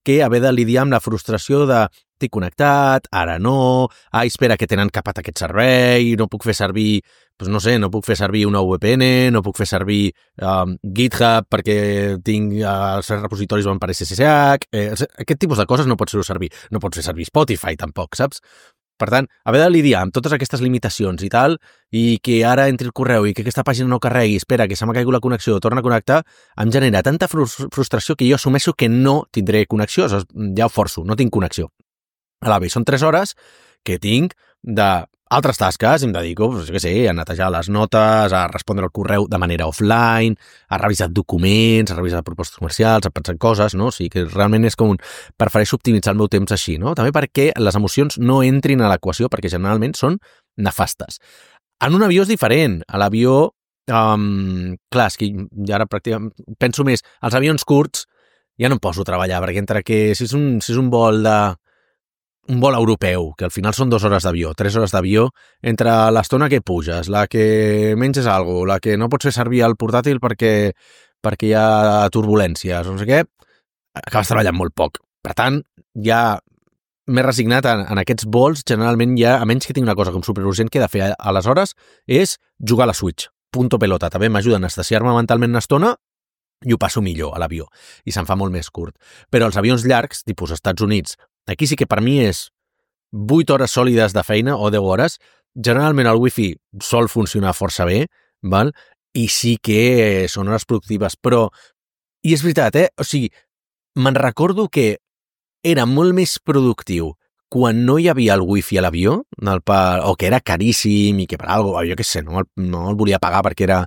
que haver de lidiar amb la frustració de t'he connectat, ara no, espera que tenen capat aquest servei, no puc fer servir, doncs no sé, no puc fer servir una VPN, no puc fer servir GitHub perquè tinc els repositoris van per SSH, aquest tipus de coses no pots fer servir. No pots fer servir Spotify tampoc, saps? Per tant, haver de lidiar amb totes aquestes limitacions i tal, i que ara entri el correu i que aquesta pàgina no carregui, espera, que se m'ha caigut la connexió, torna a connectar, em genera tanta frustració que jo assumeixo que no tindré connexió, ja ho forço, no tinc connexió. A l'AVE són 3 hores que tinc d'altres tasques, em dedico, jo què sé, a netejar les notes, a respondre al correu de manera offline, a revisar documents, a revisar propostes comercials, a pensar en coses, no? O sigui que realment és com prefereixo optimitzar el meu temps així, no? També perquè les emocions no entrin a l'equació, perquè generalment són nefastes. En un avió és diferent. A l'avió, clar, és que ara pràcticament penso més, als avions curts ja no em poso a treballar, perquè entre que si és un vol europeu, que al final són 2 hores d'avió, 3 hores d'avió, entre l'estona que puges, la que menges alguna cosa, la que no pots fer servir el portàtil perquè hi ha turbulències, no sé què, acabes treballant molt poc. Per tant, ja m'he resignat en aquests vols, generalment ja, a menys que tinc una cosa com superurgent que he de fer aleshores, és jugar a la Switch. Punto pelota. També m'ajuda a anestesiar-me mentalment una estona i ho passo millor a l'avió. I se'n fa molt més curt. Però els avions llargs, tipus Estats Units, aquí sí que per mi és 8 hores sòlides de feina o 10 hores. Generalment el wifi sol funcionar força bé, val? I sí que són hores productives, però... I és veritat, o sigui, me'n recordo que era molt més productiu quan no hi havia el wifi a l'avió, o que era caríssim i que per alguna cosa, jo què sé, no el volia pagar perquè era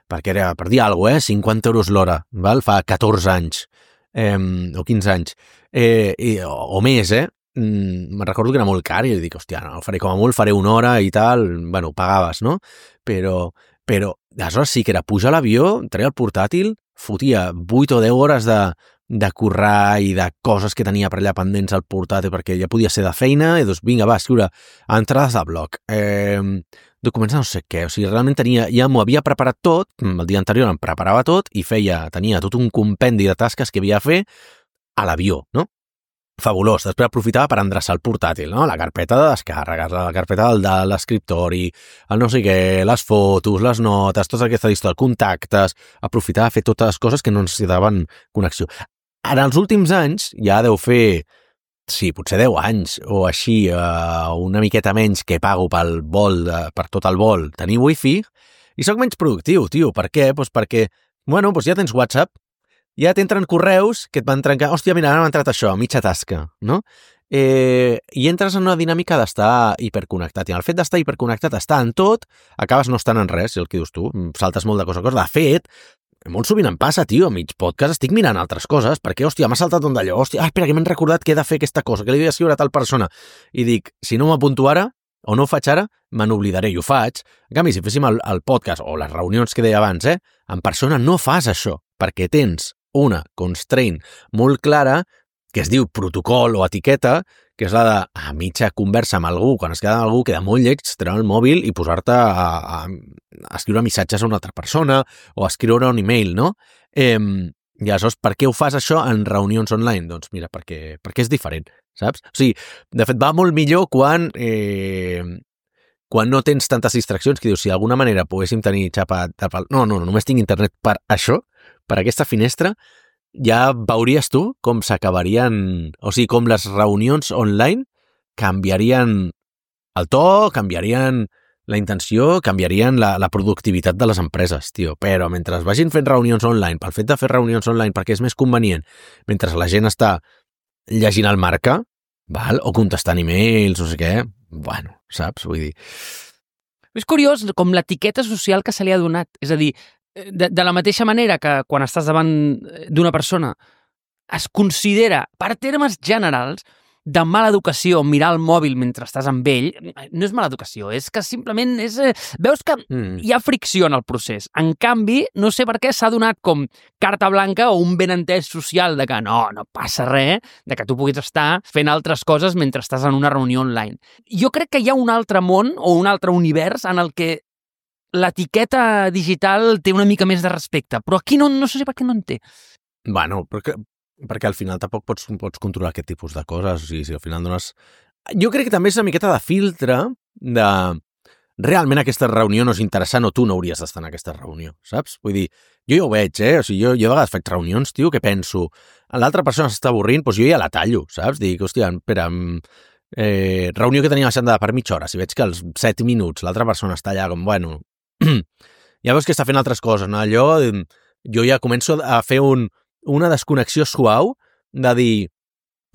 per dir alguna cosa, 50 euros l'hora, val? Fa 14 anys, o 15 anys, o més, me'n recordo que era molt car i dic, hòstia, no, faré com a molt, faré 1 hora i tal, bueno, pagaves, no? Però aleshores sí que era pujar a l'avió, treia el portàtil, fotia 8 o 10 hores de currar i de coses que tenia per allà pendents al portàtil perquè ja podia ser de feina i doncs vinga, va, escriure entrades de blog, documents no sé què, o sigui, realment ja m'ho havia preparat tot, el dia anterior em preparava tot i tenia tot un compendi de tasques que havia de fer a l'avió, no? Fabulós. Després aprofitava per endreçar el portàtil, no? La carpeta de descàrregues, la carpeta de l'escriptori, el no sé què, les fotos, les notes, tota aquesta història, contactes, aprofitava a fer totes les coses que no necessitaven connexió. En els últims anys, ja deu fer, sí, potser 10 anys o així, una miqueta menys que pago pel vol, per tot el vol, tenir wifi, i sóc menys productiu, tio. Per què? Doncs perquè, bueno, doncs ja tens WhatsApp, ja t'entren correus que et van trencar, hòstia, mira, ara m'ha entrat això, mitja tasca, no? I entres en una dinàmica d'estar hiperconnectat, i el fet d'estar hiperconnectat, estar en tot, acabes no estant en res, el que dius tu, saltes molt de cosa a cosa. De fet, molt sovint em passa, tio, a mig podcast estic mirant altres coses, perquè, hòstia, m'ha saltat un d'allò, hòstia, espera, que m'he recordat que he de fer aquesta cosa, que li he d'escriure a tal persona, i dic, si no m'apunto ara, o no ho faig ara, me n'oblidaré, i ho faig. En canvi, si féssim el podcast, o les reunions que deia abans, en persona no fas això, perquè tens una constraint molt clara que es diu protocol o etiqueta, que és la de a mitja conversa amb algú, quan es queda amb algú, queda molt lleig treure el mòbil i posar-te a escriure missatges a una altra persona o a escriure un email, no? I aleshores, per què ho fas això en reunions online? Doncs mira, perquè és diferent, saps? O sigui, de fet, va molt millor quan no tens tantes distraccions, que dius, si d'alguna manera poguéssim tenir xapa... No, només tinc internet per això, per aquesta finestra, ja veuries tu com s'acabarien... O sigui, com les reunions online canviarien el to, canviarien la intenció, canviarien la productivitat de les empreses, tio. Però mentre es vagin fent reunions online, pel fet de fer reunions online perquè és més convenient, mentre la gent està llegint el marca, val? O contestant e-mails, no sé què, bueno, saps? Vull dir... És curiós com l'etiqueta social que se li ha donat. És a dir, de la mateixa manera que quan estàs davant d'una persona es considera, per termes generals, de mala educació mirar el mòbil mentre estàs amb ell, no és mala educació, és que simplement és... Veus que hi ha fricció en el procés. En canvi, no sé per què s'ha donat com carta blanca o un benentès social de que no passa res, de que tu puguis estar fent altres coses mentre estàs en una reunió online. Jo crec que hi ha un altre món o un altre univers en el que l'etiqueta digital té una mica més de respecte, però aquí no sé per què no en té. Bueno, perquè al final tampoc pots controlar aquest tipus de coses, o sigui, si al final dones... Jo crec que també és una miqueta de filtre de... Realment aquesta reunió no és interessant o tu no hauries d'estar en aquesta reunió, saps? Vull dir, jo ja ho veig, O sigui, jo a vegades faig reunions, tio, que penso, l'altra persona s'està avorrint, doncs jo ja la tallo, saps? Dic, hòstia, espera, reunió que tenia agendada per mitja hora, si veig que als 7 minuts l'altra persona està allà com, bueno... ja veus que està fent altres coses, no? Allò, jo ja començo a fer una desconnexió suau de dir,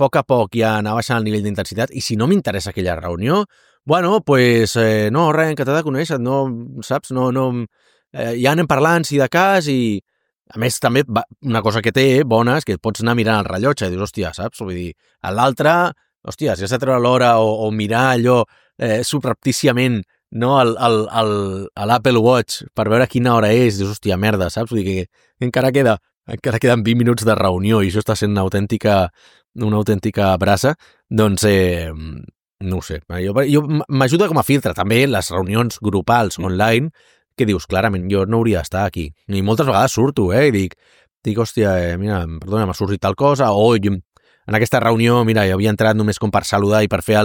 a poc ja anar baixant el nivell d'intensitat, i si no m'interessa aquella reunió, bueno, pues, no, res, que t'ha de conèixer, no, saps, ja anem parlant, si de cas, i a més també una cosa que té bona és que pots anar mirant el rellotge i dius, hòstia, saps, vull dir, a l'altre, hòstia, si has de treure l'hora o mirar allò subreptíciament, no, a l'Apple Watch per veure quina hora és, dius, hòstia, merda, saps? Vull dir que encara queden 20 minuts de reunió i això està sent una autèntica brasa, doncs, no ho sé. Jo m'ajuda com a filtre, també les reunions grupals online, que dius, clarament, jo no hauria d'estar aquí. I moltes vegades surto, i dic, hòstia, mira, perdona, m'ha sortit tal cosa, o en aquesta reunió, mira, jo havia entrat només com per saludar i per fer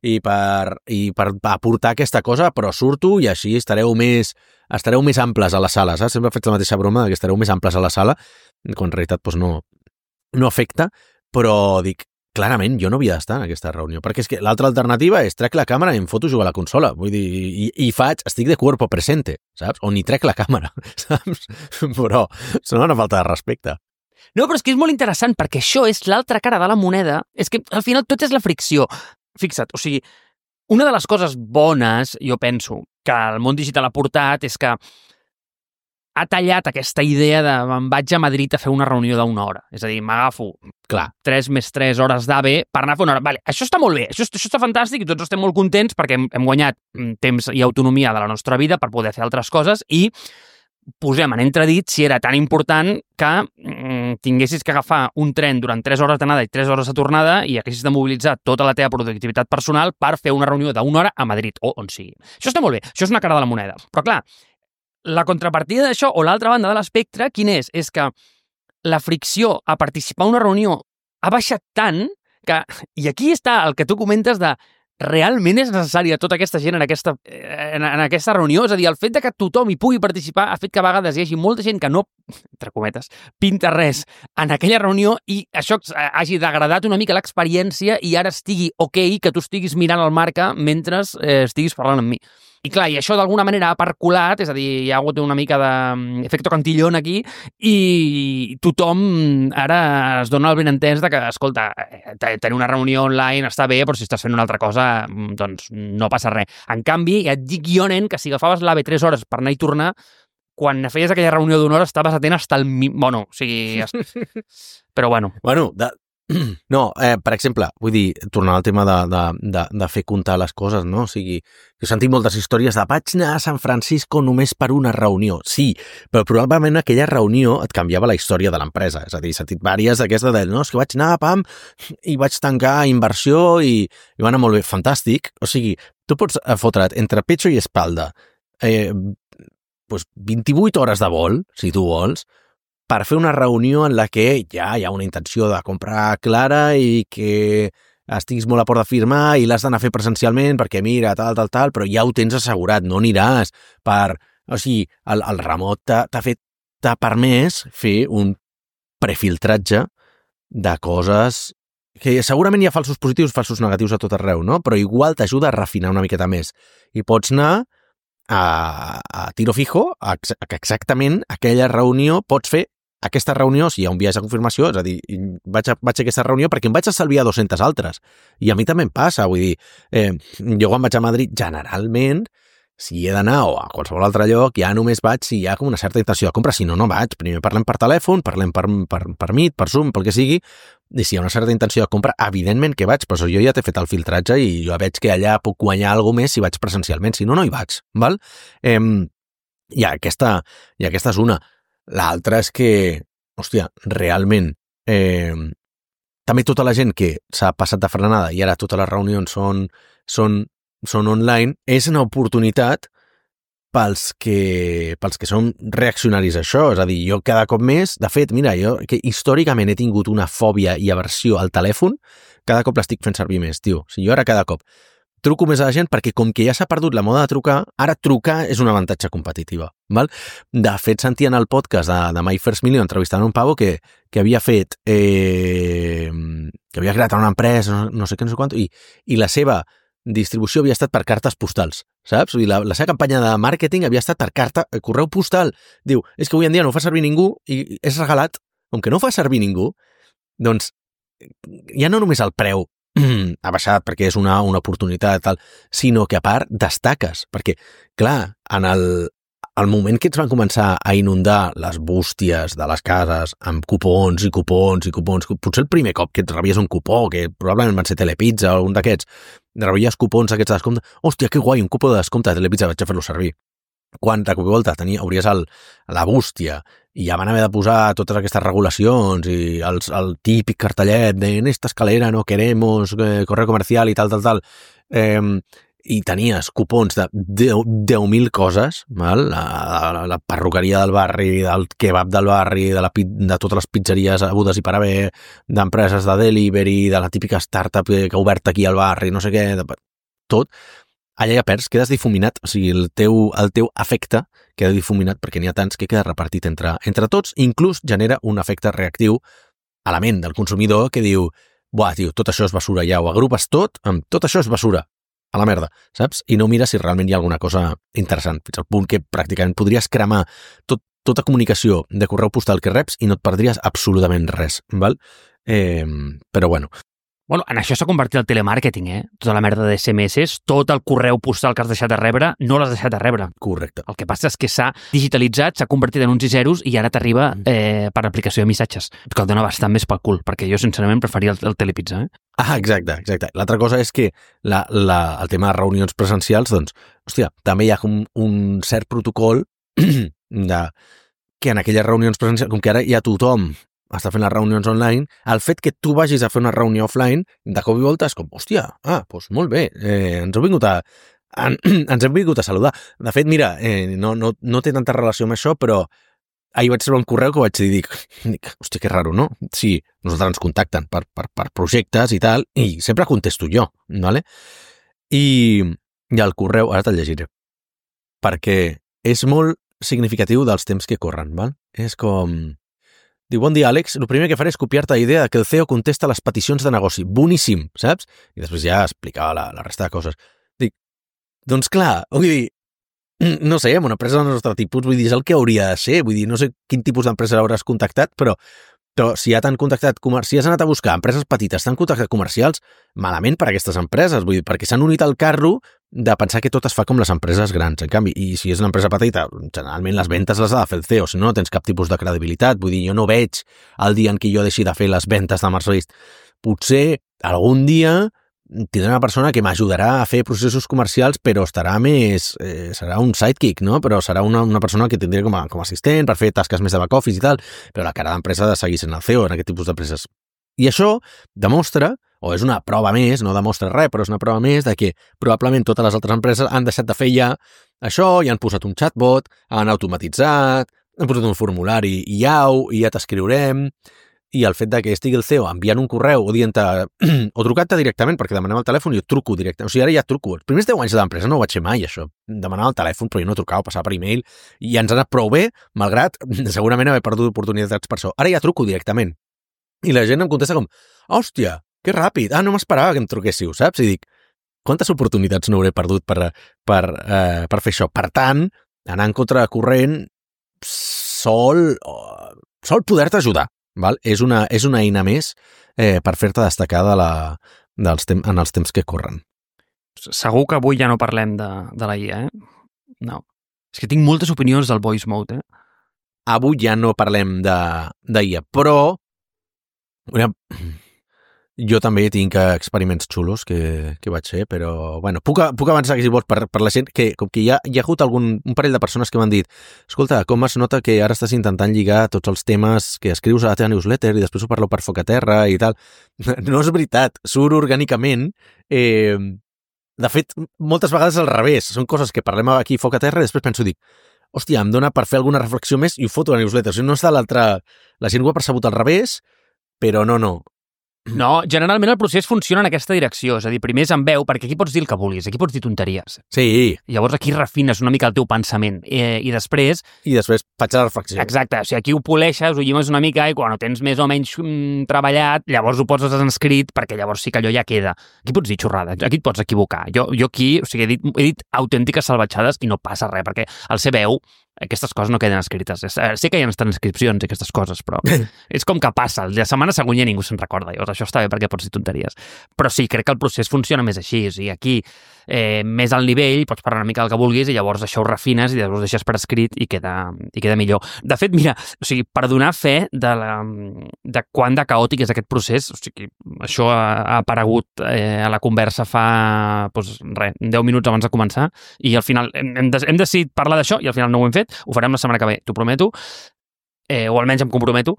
i per aportar aquesta cosa, però surto i així estareu més amples a la sala, saps? Sempre faig la mateixa broma que estareu més amples a la sala, quan en realitat doncs, no afecta, però dic, clarament jo no havia d'estar en aquesta reunió, perquè és que l'altra alternativa és trec la càmera i em foto a jugar a la consola, vull dir, i estic de cuerpo presente, saps? O ni trec la càmera, saps? Però sona una falta de respecte. No, però és que és molt interessant, perquè això és l'altra cara de la moneda, és que al final tot és la fricció. Fixa't, o sigui, una de les coses bones, jo penso, que el món digital ha portat és que ha tallat aquesta idea de me'n vaig a Madrid a fer una reunió d'1 hora. És a dir, m'agafo 3 més 3 hores d'AVE per anar a fer una hora. Vale, això està molt bé, això està fantàstic i tots estem molt contents perquè hem guanyat temps i autonomia de la nostra vida per poder fer altres coses i posem en entredit si era tan important que tinguessis que agafar un tren durant 3 hores d'anada i 3 hores de tornada i haguessis de mobilitzar tota la teva productivitat personal per fer una reunió d'1 hora a Madrid o on sigui. Això està molt bé, això és una cara de la moneda. Però clar, la contrapartida d'això, o l'altra banda de l'espectre, quin és? És que la fricció a participar en una reunió ha baixat tant que... I aquí està el que tu comentes de realment és necessària tota aquesta gent en aquesta reunió? És a dir, el fet de que tothom hi pugui participar ha fet que a vegades hi hagi molta gent que no, entre cometes, pinta res en aquella reunió i això hagi degradat una mica l'experiència i ara estigui ok que tu estiguis mirant el marca mentre estiguis parlant amb mi. I clar, i això d'alguna manera ha percolat, és a dir, hi ha hagut una mica d'efecte cantillon aquí i tothom ara es dona el benentès de que, escolta, tenir una reunió online està bé, però si estàs fent una altra cosa, doncs no passa res. En canvi, ja et dic jo, nen, que si agafaves l'AVE 3 hores per anar i tornar, quan feies aquella reunió d'1 hora estaves atent fins al... Bueno, o sigui... Però bueno. Bueno, no, per exemple, vull dir, tornar al tema de fer comptar les coses, no? O sigui, jo he sentit moltes històries de vaig anar a San Francisco només per una reunió. Sí, però probablement aquella reunió et canviava la història de l'empresa. És a dir, he sentit diverses d'aquestes de, no, és que vaig anar, pam, i vaig tancar inversió i va anar molt bé. Fantàstic. O sigui, tu pots fotre't entre pecho i espalda pues 28 hores de vol, si tu vols, per fer una reunió en la que ja hi ha una intenció de comprar clara i que estiguis molt a port de firmar i l'has d'anar a fer presencialment perquè mira, tal, però ja ho tens assegurat, no aniràs per... O sigui, el remot t'ha permès fer un prefiltratge de coses que segurament hi ha falsos positius, falsos negatius a tot arreu, no? Però igual t'ajuda a refinar una miqueta més. I pots anar a tiro fijo, que exactament aquella reunió pots fer aquesta reunió, si hi ha un viatge de confirmació, és a dir, vaig a aquesta reunió perquè em vaig estalviar 200 altres. I a mi també em passa, vull dir, jo quan vaig a Madrid, generalment, si he d'anar o a qualsevol altre lloc, ja només vaig si hi ha com una certa intenció de compra, si no, no vaig. Primer parlem per telèfon, parlem per Meet, per Zoom, pel que sigui, i si hi ha una certa intenció de compra, evidentment que vaig, però jo ja t'he fet el filtratge i jo veig que allà puc guanyar alguna més si vaig presencialment, si no, no hi vaig, val? I aquesta és una. L'altra és que, hòstia, realment, també tota la gent que s'ha passat de frenada i ara totes les reunions són online, és una oportunitat pels que som reaccionaris a això. És a dir, jo cada cop més, de fet, mira, jo que històricament he tingut una fòbia i aversió al telèfon, cada cop l'estic fent servir més, tio. O sigui, jo ara cada cop truco més a la gent perquè com que ja s'ha perdut la moda de trucar, ara trucar és un avantatge competitiva. Val? De fet, sentia en el podcast de My First Million entrevistant un pavo que havia fet que havia creat una empresa, no sé què, no sé quant, i la seva distribució havia estat per cartes postals, saps? Vull dir, la seva campanya de màrqueting havia estat per correu postal. Diu, és que avui en dia no ho fa servir ningú i és regalat. Com que no ho fa servir ningú, doncs ja no només el preu ha baixat perquè és una oportunitat, tal, sinó que a part destaques, perquè, clar, en el moment que ens van començar a inundar les bústies de les cases amb cupons i cupons i cupons, potser el primer cop que et rebies un cupó, que probablement van ser Telepizza o algun d'aquests, rebies cupons aquests de descompte, hòstia, que guai, un cupó de descompte de Telepizza, vaig a fer-lo servir. Quan de cop i volta hauries la bústia i ja van haver de posar totes aquestes regulacions i el típic cartellet de en esta escalera no queremos correo comercial i tal, i tenies cupons de 10.000 coses, val? La perruqueria del barri, del kebab del barri, de totes les pizzeries agudes i per haver, d'empreses de delivery, de la típica startup que ha obert aquí al barri, no sé què, tot. Allà ja perds, quedes difuminat, o sigui, el teu efecte queda difuminat perquè n'hi ha tants que queda repartit entre tots, inclús genera un efecte reactiu a la ment del consumidor que diu, buah, tio, tot això és basura, ja ho agrupes tot, tot això és basura, a la merda, saps? I no mires si realment hi ha alguna cosa interessant, fins al punt que pràcticament podries cremar tota comunicació de correu postal que reps i no et perdries absolutament res, val? Però bueno. Bueno, en això s'ha convertit el telemàrqueting, Tota la merda de SMS, tot el correu postal que has deixat de rebre, no l'has deixat de rebre. Correcte. El que passa és que s'ha digitalitzat, s'ha convertit en uns i zeros i ara t'arriba per aplicació de missatges, que el dona bastant més pel cul, perquè jo, sincerament, preferia el Telepizza, Exacte. L'altra cosa és que el tema de reunions presencials, doncs, hòstia, també hi ha un cert protocol que en aquelles reunions presencials, com que ara ja tothom està fent les reunions online, el fet que tu vagis a fer una reunió offline, de cop i volta és com, hòstia, doncs molt bé, ens hem vingut a saludar. De fet, mira, no té tanta relació amb això, però ahir vaig rebre un correu que vaig dir, dic, hòstia, que raro, no? Sí, nosaltres ens contacten per projectes i tal, i sempre contesto jo, ¿vale? I el correu, ara te'l llegiré, perquè és molt significatiu dels temps que corren, val? És com... Diu, bon dia, Àlex. El primer que faré és copiar-te la idea que el CEO contesta les peticions de negoci. Boníssim, saps? I després ja explicava la resta de coses. Dic, doncs clar, vull dir, no sé, amb una empresa del nostre tipus, vull dir, és el que hauria de ser. Vull dir, no sé quin tipus d'empresa hauràs contactat, però si ja t'han contactat, si has anat a buscar empreses petites, t'han contactat comercials, malament per a aquestes empreses, vull dir, perquè s'han unit al carro de pensar que tot es fa com les empreses grans. En canvi, i si és una empresa petita, generalment les ventes les ha de fer el CEO, si no, no tens cap tipus de credibilitat. Vull dir, jo no veig el dia en què jo deixi de fer les ventes de Mercedes. Potser algun dia tindré una persona que m'ajudarà a fer processos comercials, però estarà més... serà un sidekick, no? Però serà una persona que tindré com a assistent per fer tasques més de back-office i tal, però la cara d'empresa ha de seguir sent el CEO en aquest tipus d'empreses. I això demostra, o és una prova més, no demostra res, però és una prova més de que probablement totes les altres empreses han deixat de fer ja això i han posat un chatbot, han automatitzat, han posat un formulari IAU i ja t'escriurem... I el fet de que estigui el CEO enviant un correu o dient-te, o trucant-te directament, perquè demanem el telèfon i jo truco directament. O sigui, ara ja truco. Els primers 10 anys de l'empresa no ho vaig fer mai, això. Demanava el telèfon, però jo no trucava, passava per e-mail, i ens ha anat prou bé, malgrat segurament haver perdut oportunitats per això. Ara ja truco directament. I la gent em contesta com, hòstia, que ràpid, no m'esperava que em truquéssiu, saps? I dic, quantes oportunitats no hauré perdut per fer això? Per tant, anar en contra-corrent sol poder-te ajudar. Val? És una eina més per fer-te destacar en els temps que corren. Segur que avui ja no parlem de la IA, No. És que tinc moltes opinions del voice mode, Avui ja no parlem d'IA, però jo també tinc experiments xulos que vaig fer, però bueno, puc avançar que si vols per la gent, que com que hi ha hagut un parell de persones que m'han dit, escolta, com es nota que ara estàs intentant lligar tots els temes que escrius a la teva newsletter i després ho parlo per Focaterra i tal. No és veritat, surt orgànicament. De fet, moltes vegades al revés. Són coses que parlem aquí a Focaterra i després penso, dic, hòstia, em dona per fer alguna reflexió més i ho foto a la newsletter. O sigui, no està l'altra... La gent ho ha percebut al revés, però no. No, generalment el procés funciona en aquesta direcció, és a dir, primer és en veu, perquè aquí pots dir el que vulguis, aquí pots dir tonteries. Sí. Llavors aquí refines una mica el teu pensament, i després... I després faig la reflexió. Exacte, o sigui, aquí ho poleixes, ho llimes una mica, i quan ho tens més o menys treballat, llavors ho poses en escrit, perquè llavors sí que allò ja queda. Aquí pots dir xorrada, aquí et pots equivocar. Jo aquí, o sigui, he dit autèntiques salvatjades i no passa res, perquè al ser veu, aquestes coses no queden escrites. Sé que hi ha transcripcions i aquestes coses, però és com que passa. La setmana següent ja ningú se'n recorda. Llavors això està bé perquè pots dir tonteries. Però sí, crec que el procés funciona més així. O sigui, aquí, més al nivell, pots parlar una mica del que vulguis i llavors això ho refines i llavors ho deixes per escrit i queda millor. De fet, mira, o sigui, per donar fe de quant de caòtic és aquest procés, o sigui, això ha aparegut a la conversa fa, doncs, 10 minuts abans de començar i al final hem decidit parlar d'això i al final no ho hem fet. Ho farem la setmana que ve, t'ho prometo, o almenys em comprometo.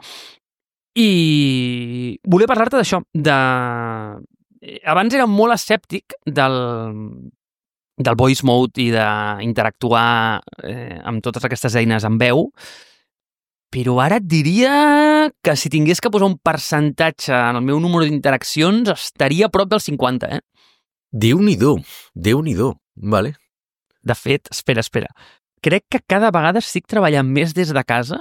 I volia parlar-te d'això, abans era molt escèptic del voice mode i d'interactuar amb totes aquestes eines en veu, però ara et diria que si tingués que posar un percentatge en el meu número d'interaccions estaria a prop del 50, Déu-n'hi-do, vale. De fet, espera. Crec que cada vegada estic treballant més des de casa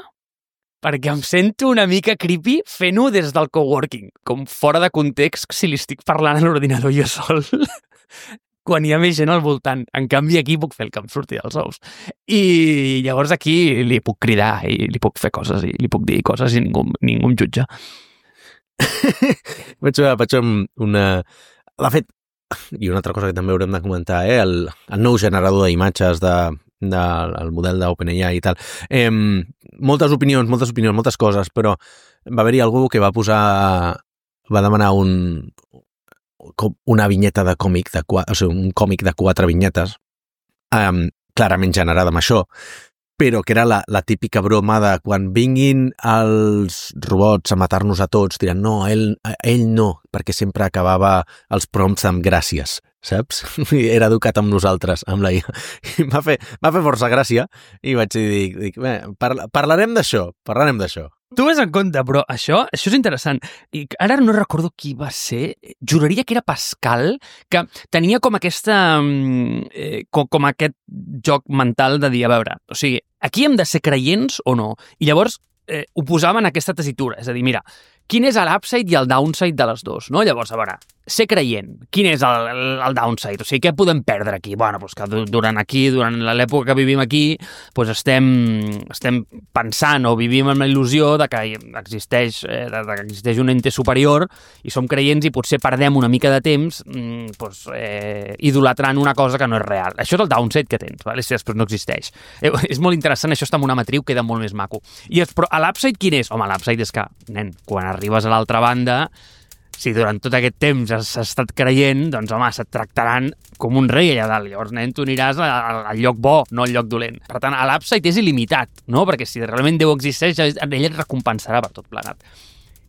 perquè em sento una mica creepy fent-ho des del coworking, com fora de context si li estic parlant a l'ordinador jo sol, quan hi ha més gent al voltant. En canvi, aquí puc fer el que em surti dels ous. I llavors aquí li puc cridar i li puc fer coses i li puc dir coses i ningú em jutja. Vaig una... De fet, i una altra cosa que també haurem de comentar, el nou generador d'imatges del model d'OpenAI i tal. Moltes opinions, moltes coses, però va haver-hi algú que va demanar una vinyeta de còmic, o sigui, un còmic de 4 vinyetes, clarament generada amb això, però que era la típica broma de quan vinguin els robots a matar-nos a tots, diran, no, ell no, perquè sempre acabava els prompts amb gràcies, saps? Era educat amb nosaltres, amb la IA. I m'ha fet força gràcia i vaig dir, parlarem d'això. Tu ves en compte, però això és interessant. I ara no recordo qui va ser. Juraria que era Pascal, que tenia com aquesta... com aquest joc mental de dir, a veure, o sigui, aquí hem de ser creients o no? I llavors ho posava en aquesta tessitura. És a dir, mira, quin és l'upside i el downside de les dos, no? Llavors, a veure, ser creient, quin és el downside? O sigui, què podem perdre aquí? Bueno, doncs que durant l'època que vivim aquí, doncs estem pensant o vivim amb la il·lusió de que existeix un ente superior i som creients i potser perdem una mica de temps idolatrant una cosa que no és real. Això és el downside que tens, vale? Si després no existeix. És molt interessant, això està en una matriu, queda molt més maco. Però l'upside quin és? Home, l'upside és que, nen, quan arribes a l'altra banda, si durant tot aquest temps has estat creient, doncs, home, se't tractaran com un rei allà dalt. Llavors, nen, tu aniràs al lloc bo, no al lloc dolent. Per tant, l'upside és il·limitat, no? Perquè si realment Déu existeix, ell et recompensarà per tot plegat.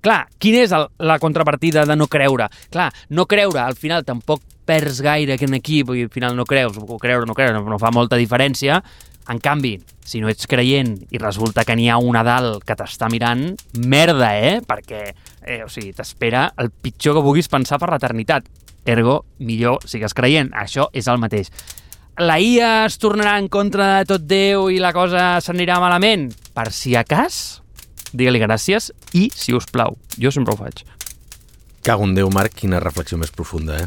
Clar, quina és la contrapartida de no creure? Clar, no creure, al final, tampoc perds gaire aquí, perquè al final no creus, o creure o no creure, no fa molta diferència. En canvi, si no ets creient i resulta que n'hi ha un a dalt que t'està mirant, merda, perquè t'espera el pitjor que puguis pensar per l'eternitat. Ergo, millor sigues creient. Això és el mateix. La IA es tornarà en contra de tot Déu i la cosa s'anirà malament? Per si a cas, digue-li gràcies i, si us plau, jo sempre ho faig. Cago en Déu, Marc, quina reflexió més profunda,